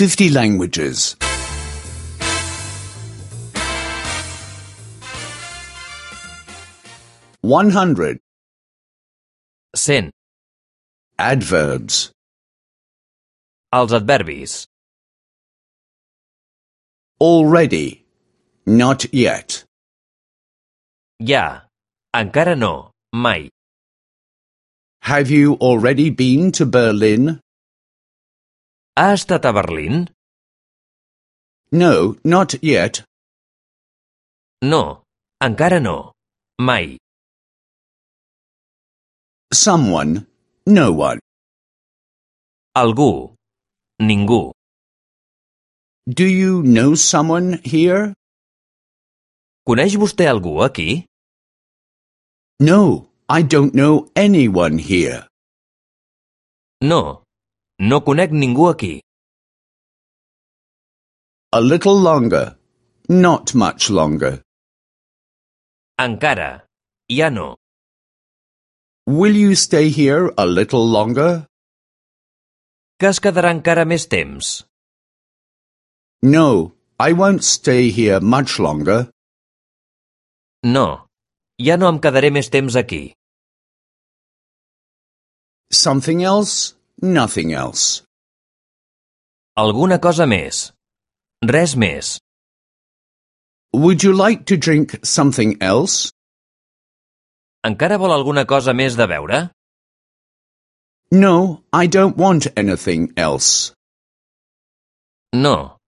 50 languages. 100. 100. Adverbs. Els adverbis. Already. Not yet. Ja. Encara no. Mai. Have you already been to Berlin? Ha estat a Berlín? No, not yet. No. Encara no. Mai. Someone. No one. Algú. Ningú. Do you know someone here? Coneix vostè algú aquí? No, I don't know anyone here. No. No conec ningú aquí. A little longer. Not much longer. Encara. Ja no. Will you stay here a little longer? Que es quedarà encara més temps? No, I won't stay here much longer. No. Ja no em quedaré més temps aquí. Something else? Nothing else. Alguna cosa més. Res més. Would you like to drink something else? Encara vol alguna cosa més de beure? No, I don't want anything else. No.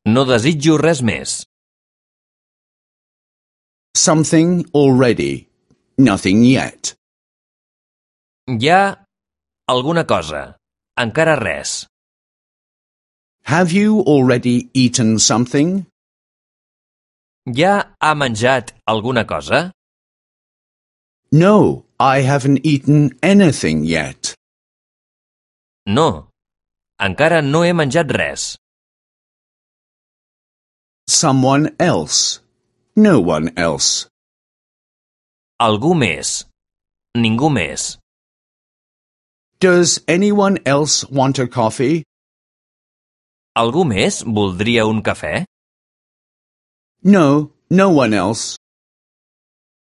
No desitjo res més. Something already. Nothing yet. Ja alguna cosa. Encara res. Have you already eaten something? Ja ha menjat alguna cosa? No, I haven't eaten anything yet. No. Encara no he menjat res. Someone else. No one else. Algú més. Ningú més. Does anyone else want a coffee? Algú més voldria un cafè? No, no one else.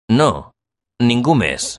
No. Ningú més.